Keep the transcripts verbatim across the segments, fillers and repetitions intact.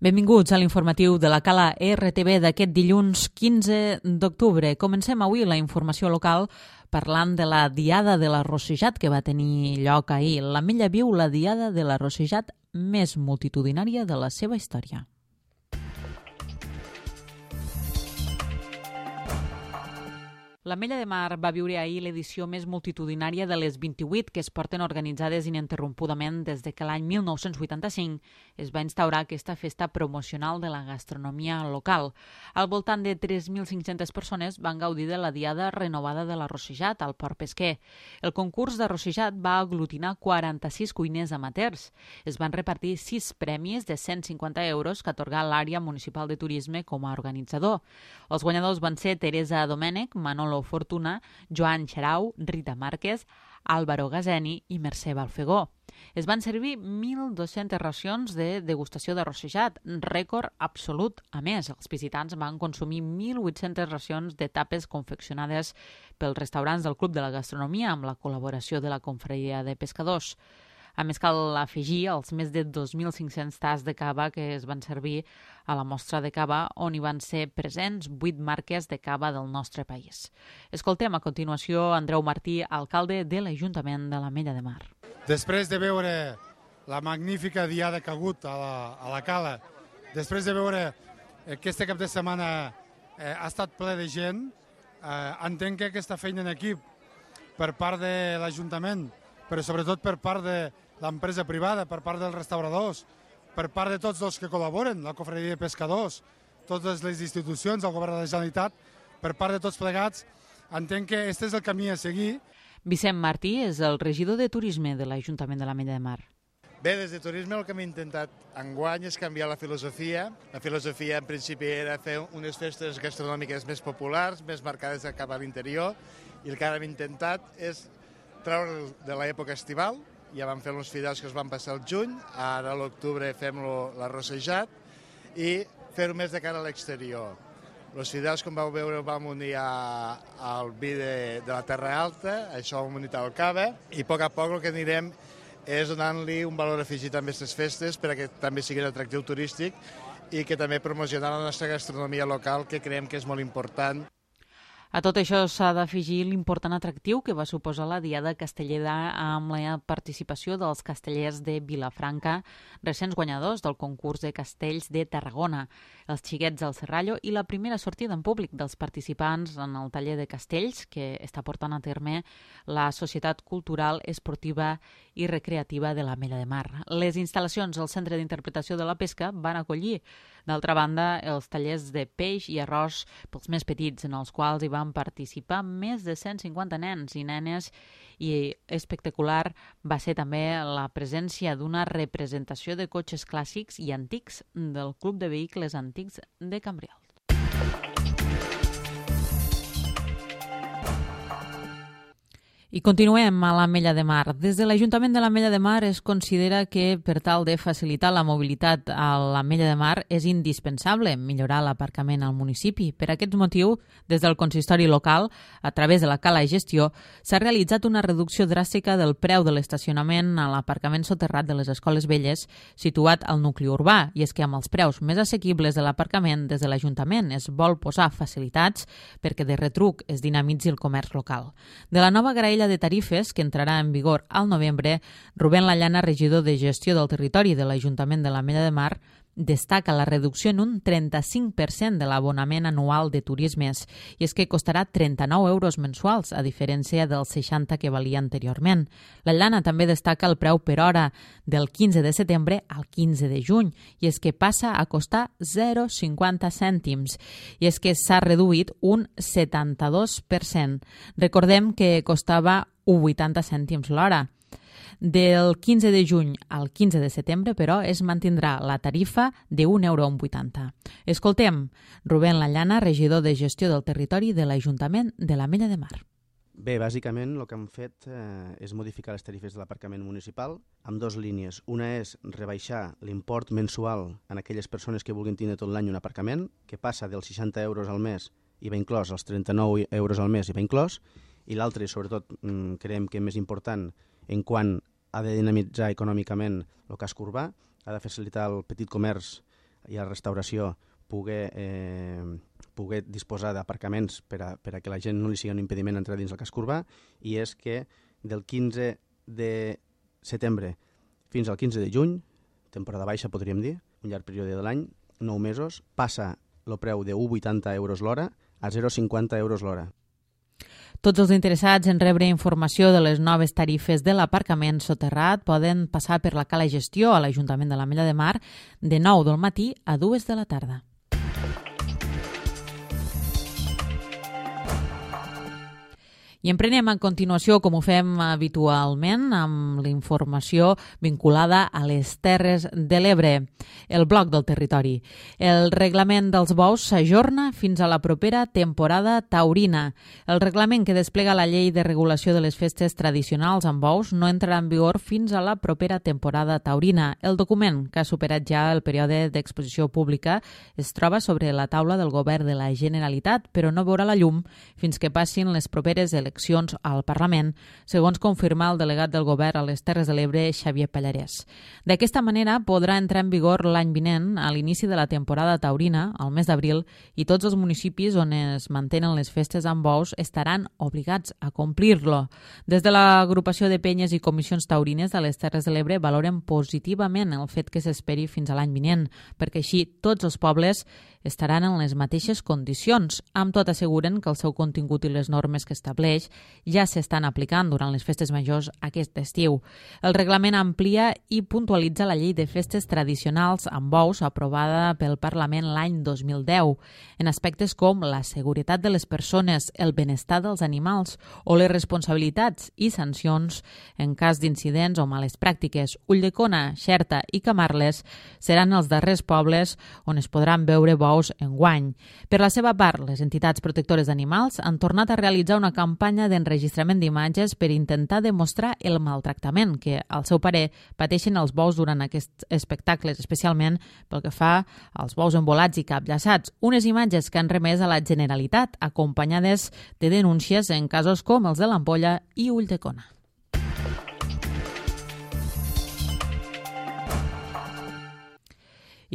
Benvinguts a l'informatiu de la Cala R T V d'aquest dilluns quinze d'octubre. Comencem avui la informació local parlant de la Diada de l'Arrossejat que va tenir lloc ahir. L'Ametlla viu la Diada de l'Arrossejat més multitudinària de la seva història. L'Ametlla de Mar va viure ahir l'edició més multitudinària de les vint-i-vuit que es porten organitzades ininterrompudament des de que l'any mil nou-cents vuitanta-cinc es va instaurar aquesta festa promocional de la gastronomia local. Al voltant de tres mil cinc-centes persones van gaudir de la diada renovada de l'Arrossejat al Port Pesquer. El concurs d'Arrossejat va aglutinar quaranta-sis cuiners amateurs. Es van repartir sis premis de cent cinquanta euros que atorgà l'àrea municipal de turisme com a organitzador. Els guanyadors van ser Teresa Domènech, Manolo Fortuna, Joan Xarau, Rita Márquez, Álvaro Gazeni i Mercè Balfegó. Es van servir mil dos-centes racions de degustació d'arrossejat, rècord absolut. A més, els visitants van consumir mil vuit-centes racions de tapes confeccionades pels restaurants del Club de la Gastronomia amb la col·laboració de la Confraria de Pescadors. A més, cal afegir els més de dos mil cinc-cents tas de cava que es van servir a la mostra de cava, on hi van ser presents vuit marques de cava del nostre país. Escoltem a continuació Andreu Martí, alcalde de l'Ajuntament de l'Ametlla de Mar. Després de veure la magnífica diada que ha hagut a la, a la Cala, després de veure que este cap de setmana eh, ha estat ple de gent, eh, entenc que aquesta feina en equip per part de l'Ajuntament, però sobretot per part de l'empresa privada, per part dels restauradors, per part de tots els que col·laboren, la Confraria de Pescadors, totes les institucions, el Govern de la Generalitat, per part de tots plegats, entenc que aquest és el camí a seguir. Vicent Martí és el regidor de Turisme de l'Ajuntament de l'Ametlla de Mar. Bé, des de Turisme el que hem intentat enguany és canviar la filosofia. La filosofia en principi era fer unes festes gastronòmiques més populars, més marcades cap a l'interior, i el que ara hem intentat és treure de l'època estival. Ja vam fer uns fidels que es van passar al juny, ara a l'octubre fem l'arrossejat i fer-ho més de cara a l'exterior. Els fidels, com vau veure, ho vam unir a, al vi de, de la Terra Alta, això ho hem unit al cava, i a poc a poc el que anirem és donant-li un valor afegit a aquestes festes perquè també sigui un atractiu turístic i que també promocionar la nostra gastronomia local, que creiem que és molt important. A tot això s'ha d'afegir l'important atractiu que va suposar la Diada Castellera amb la participació dels castellers de Vilafranca, recents guanyadors del concurs de castells de Tarragona, els xiquets del Serrallo i la primera sortida en públic dels participants en el taller de castells que està portant a terme la Societat Cultural, Esportiva i Recreativa de l'Ametlla de Mar. Les instal·lacions al Centre d'Interpretació de la Pesca van acollir, d'altra banda, els tallers de peix i arròs pels més petits, en els quals hi van participar més de cent cinquanta nens i nenes, i espectacular va ser també la presència d'una representació de cotxes clàssics i antics del Club de Vehicles Antics de Cambrils. I continuem a l'Ametlla de Mar. Des de l'Ajuntament de l'Ametlla de Mar es considera que per tal de facilitar la mobilitat a l'Ametlla de Mar és indispensable millorar l'aparcament al municipi. Per aquest motiu, des del consistori local, a través de la Cala i Gestió, s'ha realitzat una reducció dràstica del preu de l'estacionament a l'aparcament soterrat de les Escoles Velles situat al nucli urbà, i és que amb els preus més assequibles de l'aparcament des de l'Ajuntament es vol posar facilitats perquè de retruc es dinamitzi el comerç local. De la nova graella de tarifes, que entrarà en vigor al novembre, Rubén Lallana, regidor de Gestió del Territori de l'Ajuntament de l'Ametlla de Mar, destaca la reducció en un trenta-cinc per cent de l'abonament anual de turismes, i és que costarà trenta-nou euros mensuals, a diferència dels seixanta que valia anteriorment. Lallana també destaca el preu per hora del quinze de setembre al quinze de juny, i és que passa a costar zero coma cinquanta cèntims, i és que s'ha reduït un setanta-dos per cent. Recordem que costava un coma vuitanta cèntims l'hora. Del quinze de juny al quinze de setembre, però, es mantindrà la tarifa d'un euro amb vuitanta. Escoltem Rubén Lallana, regidor de Gestió del Territori de l'Ajuntament de l'Ametlla de Mar. Bé, bàsicament el que hem fet eh, és modificar les tarifes de l'aparcament municipal amb dues línies. Una és rebaixar l'import mensual en aquelles persones que vulguin tenir tot l'any un aparcament, que passa dels seixanta euros al mes i va inclòs als trenta-nou euros al mes i va inclòs, i l'altre, i sobretot creiem que més important, en quant ha de dinamitzar econòmicament el casc urbà, ha de facilitar el petit comerç i a la restauració poder, eh, poder disposar d'aparcaments per a, per a que la gent no li sigui un impediment entrar dins el casc urbà, i és que del quinze de setembre fins al quinze de juny, temporada baixa podríem dir, un llarg període de l'any, nou mesos, passa el preu de un coma vuitanta euros l'hora a zero coma cinquanta euros l'hora. Tots els interessats en rebre informació de les noves tarifes de l'aparcament soterrat poden passar per la cala gestió a l'Ajuntament de l'Ametlla de Mar de nou del matí a dues de la tarda. I emprenem a continuació, com ho fem habitualment, amb la informació vinculada a les Terres de l'Ebre, el bloc del territori. El reglament dels bous s'ajorna fins a la propera temporada taurina. El reglament que desplega la llei de regulació de les festes tradicionals amb bous no entrarà en vigor fins a la propera temporada taurina. El document, que ha superat ja el període d'exposició pública, es troba sobre la taula del Govern de la Generalitat, però no veurà la llum fins que passin les properes eleccions al Parlament, segons confirma el delegat del Govern a les Terres de l'Ebre, Xavier Pallarès. D'aquesta manera podrà entrar en vigor l'any vinent, a l'inici de la temporada taurina, al mes d'abril, i tots els municipis on es mantenen les festes amb bous estaran obligats a complir-lo. Des de l'agrupació de penyes i comissions taurines de les Terres de l'Ebre valoren positivament el fet que s'esperi fins a l'any vinent, perquè així tots els pobles estaran en les mateixes condicions. Amb tot asseguren que el seu contingut i les normes que estableix ja s'estan aplicant durant les festes majors aquest estiu. El reglament amplia i puntualitza la llei de festes tradicionals amb bous aprovada pel Parlament l'any dos mil deu, en aspectes com la seguretat de les persones, el benestar dels animals o les responsabilitats i sancions en cas d'incidents o males pràctiques. Ulldecona, Xerta i Camarles seran els darrers pobles on es podran veure bous enguany. Per la seva part, les entitats protectores d'animals han tornat a realitzar una campanya d'enregistrament d'imatges per intentar demostrar el maltractament que, al seu parer, pateixen els bous durant aquests espectacles, especialment pel que fa als bous envolats i capllaçats. Unes imatges que han remès a la Generalitat, acompanyades de denúncies en casos com els de l'Ampolla i Ulldecona.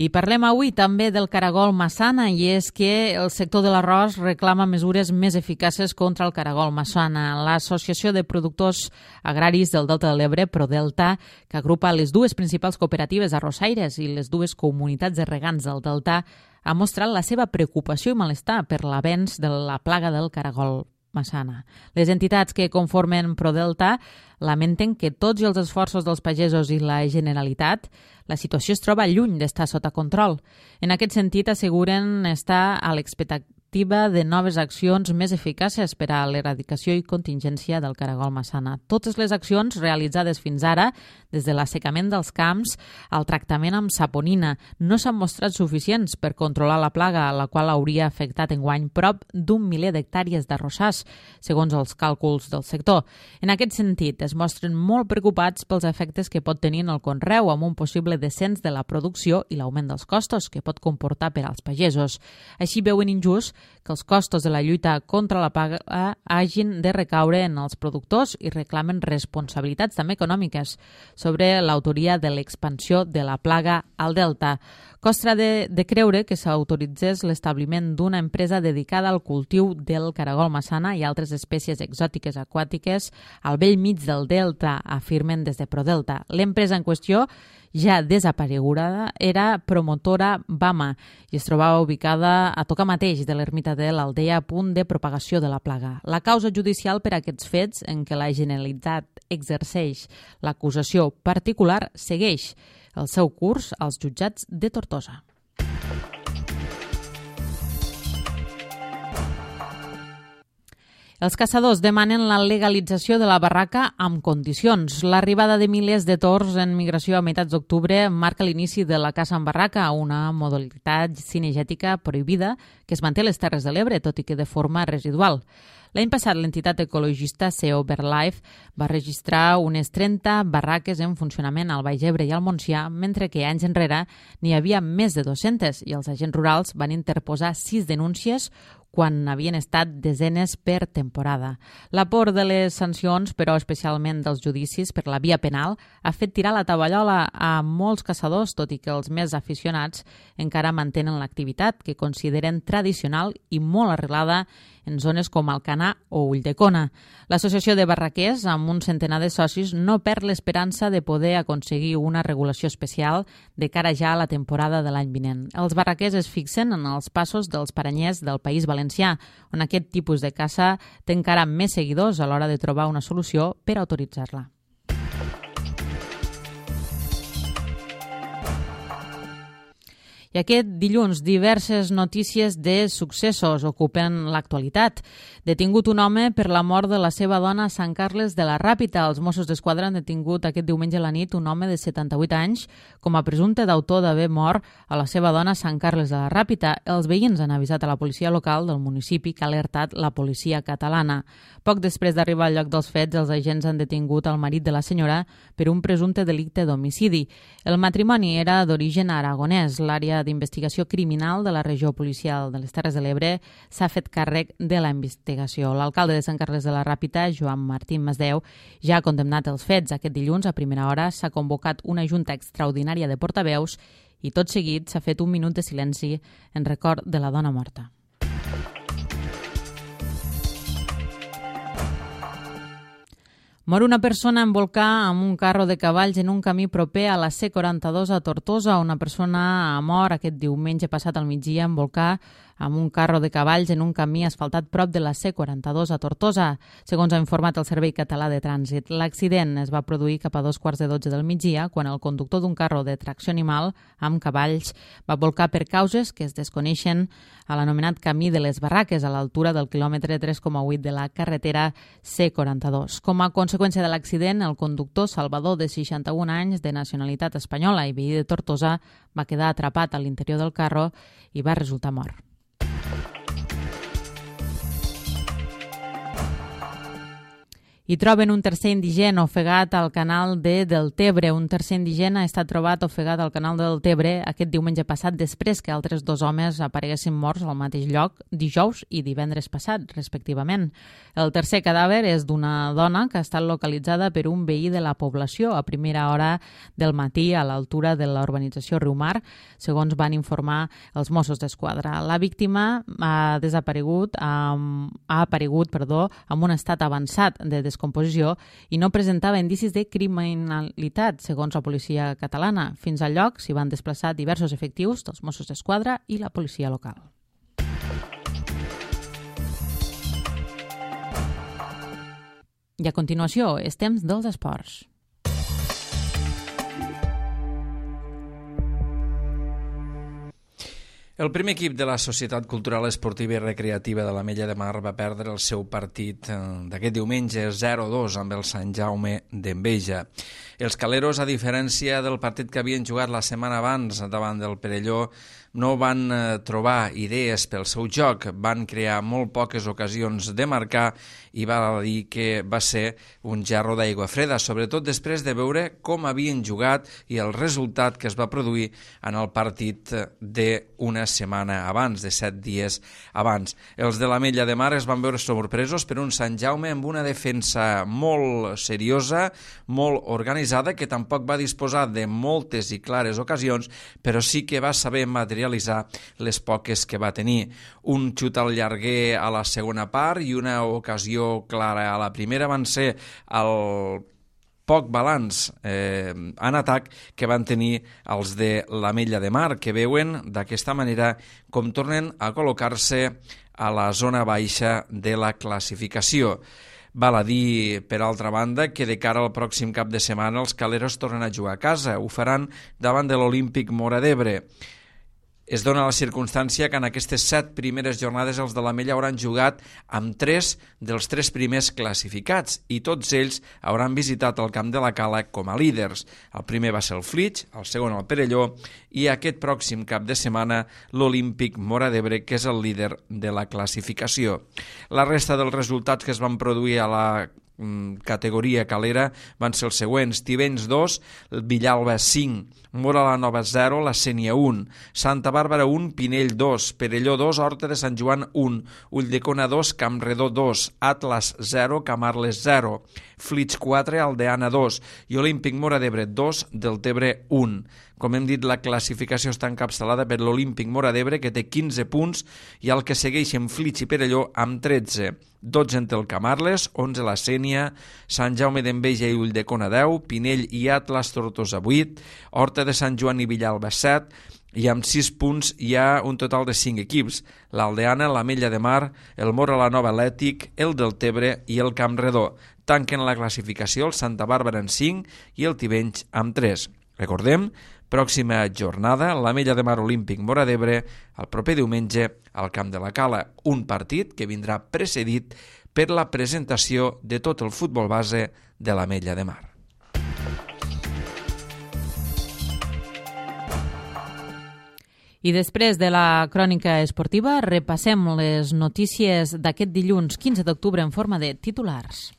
I parlem avui també del caragol massana, i és que el sector de l'arròs reclama mesures més eficaces contra el caragol massana. L'Associació de Productors Agraris del Delta de l'Ebre, Prodelta, que agrupa les dues principals cooperatives arrossaires i les dues comunitats de regants del Delta, ha mostrat la seva preocupació i malestar per l'avenç de la plaga del caragol massana. Les entitats que conformen Prodelta lamenten que tots els esforços dels pagesos i la Generalitat, la situació es troba lluny d'estar sota control. En aquest sentit, asseguren estar a l'expectativa de noves accions més eficaces per a l'eradicació i contingència del caragol massana. Totes les accions realitzades fins ara, des de l'assecament dels camps al tractament amb saponina, no s'han mostrat suficients per controlar la plaga, la qual hauria afectat enguany prop d'un miler d'hectàrees d'arrossars, segons els càlculs del sector. En aquest sentit, es mostren molt preocupats pels efectes que pot tenir en el conreu, amb un possible descens de la producció i l'augment dels costos que pot comportar per als pagesos. Així veuen injust que els costos de la lluita contra la plaga hagin de recaure en els productors i reclamen responsabilitats també econòmiques sobre l'autoria de l'expansió de la plaga al Delta. Costa de, de creure que s'autoritzés l'establiment d'una empresa dedicada al cultiu del caragol massana i altres espècies exòtiques aquàtiques al bell mig del Delta, afirmen des de Prodelta. L'empresa en qüestió, ja desapareguda, era Promotora Bama i es trobava ubicada a tocar mateix de l'ermita de l'Aldea, a punt de propagació de la plaga. La causa judicial per a aquests fets, en què la Generalitat exerceix l'acusació particular, segueix el seu curs als jutjats de Tortosa. Els caçadors demanen la legalització de la barraca amb condicions. L'arribada de milers de tords en migració a meitats d'octubre marca l'inici de la caça en barraca, una modalitat cinegètica prohibida que es manté a les Terres de l'Ebre, tot i que de forma residual. L'any passat, l'entitat ecologista C E O BirdLife va registrar unes trenta barraques en funcionament al Baix Ebre i al Montsià, mentre que anys enrere n'hi havia més de dues-centes i els agents rurals van interposar sis denúncies quan havien estat desenes per temporada. La por de les sancions, però especialment dels judicis per la via penal, ha fet tirar la tovallola a molts caçadors, tot i que els més aficionats encara mantenen l'activitat, que consideren tradicional i molt arrelada en zones com Alcanar o Ulldecona. L'Associació de Barraquers, amb un centenar de socis, no perd l'esperança de poder aconseguir una regulació especial de cara ja a la temporada de l'any vinent. Els barraquers es fixen en els passos dels paranyers del País Valencià, on aquest tipus de caça té encara més seguidors a l'hora de trobar una solució per autoritzar-la. I aquest dilluns diverses notícies de successos ocupen l'actualitat. Detingut un home per la mort de la seva dona a Sant Carles de la Ràpita. Els Mossos d'Esquadra han detingut aquest diumenge a la nit un home de setanta-vuit anys com a presumpte d'autor d'haver mort a la seva dona a Sant Carles de la Ràpita. Els veïns han avisat a la policia local del municipi, que ha alertat la policia catalana. Poc després d'arribar al lloc dels fets, els agents han detingut el marit de la senyora per un presumpte delicte d'homicidi. El matrimoni era d'origen aragonès. L'àrea d'investigació criminal de la regió policial de les Terres de l'Ebre s'ha fet càrrec de la investigació. L'alcalde de Sant Carles de la Ràpita, Joan Martín Masdeu, ja ha condemnat els fets. Aquest dilluns, a primera hora, s'ha convocat una junta extraordinària de portaveus i tot seguit s'ha fet un minut de silenci en record de la dona morta. Mor una persona en volcà amb un carro de cavalls en un camí proper a la C quaranta-dos a Tortosa. Una persona ha mort aquest diumenge passat al migdia en volcà amb un carro de cavalls en un camí asfaltat prop de la C quaranta-dos a Tortosa, segons ha informat el Servei Català de Trànsit. L'accident es va produir cap a dos quarts de dotze del migdia, quan el conductor d'un carro de tracció animal amb cavalls va volcar per causes que es desconeixen a l'anomenat Camí de les Barraques, a l'altura del quilòmetre tres coma vuit de la carretera C quaranta-dos. Com a conseqüència de l'accident, el conductor, Salvador, de seixanta-un anys, de nacionalitat espanyola i veí de Tortosa, va quedar atrapat a l'interior del carro i va resultar mort. I troben un tercer indigent ofegat al canal de Deltebre. Un tercer indigent ha estat trobat ofegat al canal de Deltebre aquest diumenge passat, després que altres dos homes apareguessin morts al mateix lloc dijous i divendres passat, respectivament. El tercer cadàver és d'una dona que ha estat localitzada per un veí de la població a primera hora del matí a l'altura de la urbanització Riumar, segons van informar els Mossos d'Esquadra. La víctima ha desaparegut, um, ha aparegut perdó, en un estat avançat de descomposició composició i no presentava indicis de criminalitat, segons la policia catalana. Fins al lloc s'hi van desplaçar diversos efectius dels Mossos d'Esquadra i la policia local. I a continuació, és temps dels esports. El primer equip de la Societat Cultural Esportiva i Recreativa de l'Ametlla de Mar va perdre el seu partit d'aquest diumenge zero a dos amb el Sant Jaume d'Enveja. Els caleros, a diferència del partit que havien jugat la setmana abans davant del Perelló, no van trobar idees pel seu joc, van crear molt poques ocasions de marcar i val a dir que va ser un gerro d'aigua freda, sobretot després de veure com havien jugat i el resultat que es va produir en el partit d'una setmana abans, de set dies abans. Els de l'Ametlla de Mar es van veure sorpresos per un Sant Jaume amb una defensa molt seriosa, molt organitzada, que tampoc va disposar de moltes i clares ocasions, però sí que va saber materialitzar les poques que va tenir. Un xut al llarguer a la segona part i una ocasió clara a la primera van ser el poc balanç eh, en atac que van tenir els de l'Ametlla de Mar, que veuen d'aquesta manera com tornen a col·locar-se a la zona baixa de la classificació. Val a dir, per altra banda, que de cara al pròxim cap de setmana els caleros tornen a jugar a casa. Ho faran davant de l'Olímpic Móra d'Ebre. Es dona la circumstància que en aquestes set primeres jornades els de l'Ametlla hauran jugat amb tres dels tres primers classificats i tots ells hauran visitat el camp de la Cala com a líders. El primer va ser el Flix, el segon el Perelló i aquest pròxim cap de setmana l'Olímpic Móra d'Ebre, que és el líder de la classificació. La resta dels resultats que es van produir a la categoria calera van ser els següents: Tivenys dos, Villalba cinc, Móra la Nova zero, la Sénia un, Santa Bàrbara un, Pinell dos, Perelló dos, Horta de Sant Joan un, Ulldecona dos, Campredó dos, Atlas zero, Camarles zero, Flix quatre, Aldeana dos i Olímpic Móra d'Ebre dos, Deltebre un. Com hem dit, la classificació està encapçalada per l'Olímpic Móra d'Ebre, que té quinze punts, i el que segueixen Flix i Perelló amb tretze. dotze en té el Camarles, onze la Sénia, Sant Jaume d'Enveja i Ulldecona deu, Pinell i Atlas Tortosa vuit, Horta de Sant Joan i Villalba set, i amb sis punts hi ha un total de cinc equips: l'Aldeana, l'Ametlla de Mar, el Móra la Nova Atlètic, el Deltebre i el Campredó. Tanquen la classificació el Santa Bàrbara en cinc i el Tivenys amb tres. Recordem, pròxima jornada, l'Ametlla de Mar Olímpic Móra d'Ebre, el proper diumenge al Camp de la Cala, un partit que vindrà precedit per la presentació de tot el futbol base de l'Ametlla de Mar. I després de la crònica esportiva, repassem les notícies d'aquest dilluns quinze d'octubre en forma de titulars.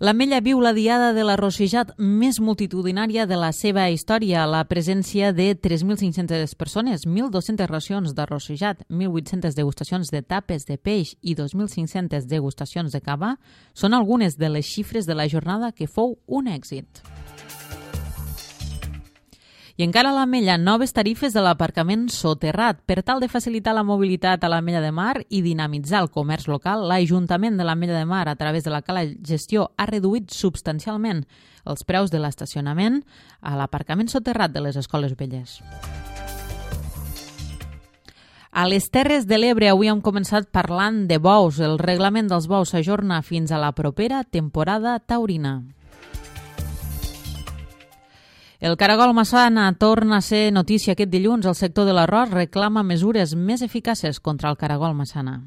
L'Ametlla viu la diada de l'arrossejat més multitudinària de la seva història. La presència de tres mil cinc-centes persones, mil dos-centes racions d'arrossejat, mil vuit-centes degustacions de tapes de peix i dos mil cinc-centes degustacions de cava són algunes de les xifres de la jornada que fou un èxit. I encara a l'Ametlla, noves tarifes de l'aparcament soterrat. Per tal de facilitar la mobilitat a l'Ametlla de Mar i dinamitzar el comerç local, l'Ajuntament de l'Ametlla de Mar, a través de la Cala Gestió, ha reduït substancialment els preus de l'estacionament a l'aparcament soterrat de les escoles velles. A les Terres de l'Ebre avui hem començat parlant de bous. El reglament dels bous s'ajorna fins a la propera temporada taurina. El caragol massana torna a ser notícia aquest dilluns. El sector de l'arròs reclama mesures més eficaces contra el caragol massana.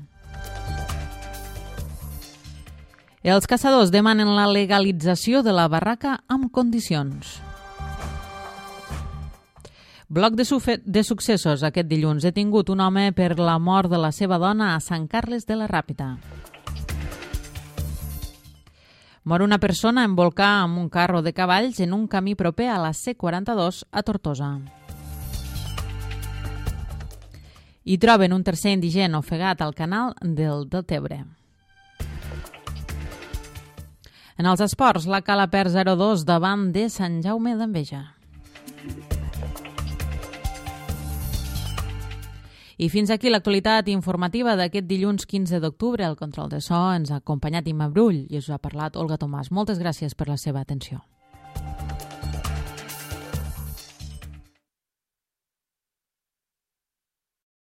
Els caçadors demanen la legalització de la barraca amb condicions. Bloc de, de successos aquest dilluns. Detingut un home per la mort de la seva dona a Sant Carles de la Ràpita. Mor una persona en volcar amb un carro de cavalls en un camí proper a la C quaranta-dos a Tortosa. I troben un tercer indigent ofegat al canal del Deltebre. En els esports, la Cala perd zero dos davant de Sant Jaume d'Enveja. I fins aquí l'actualitat informativa d'aquest dilluns quinze d'octubre. El control de so ens ha acompanyat Imma Brull i us ha parlat Olga Tomàs. Moltes gràcies per la seva atenció.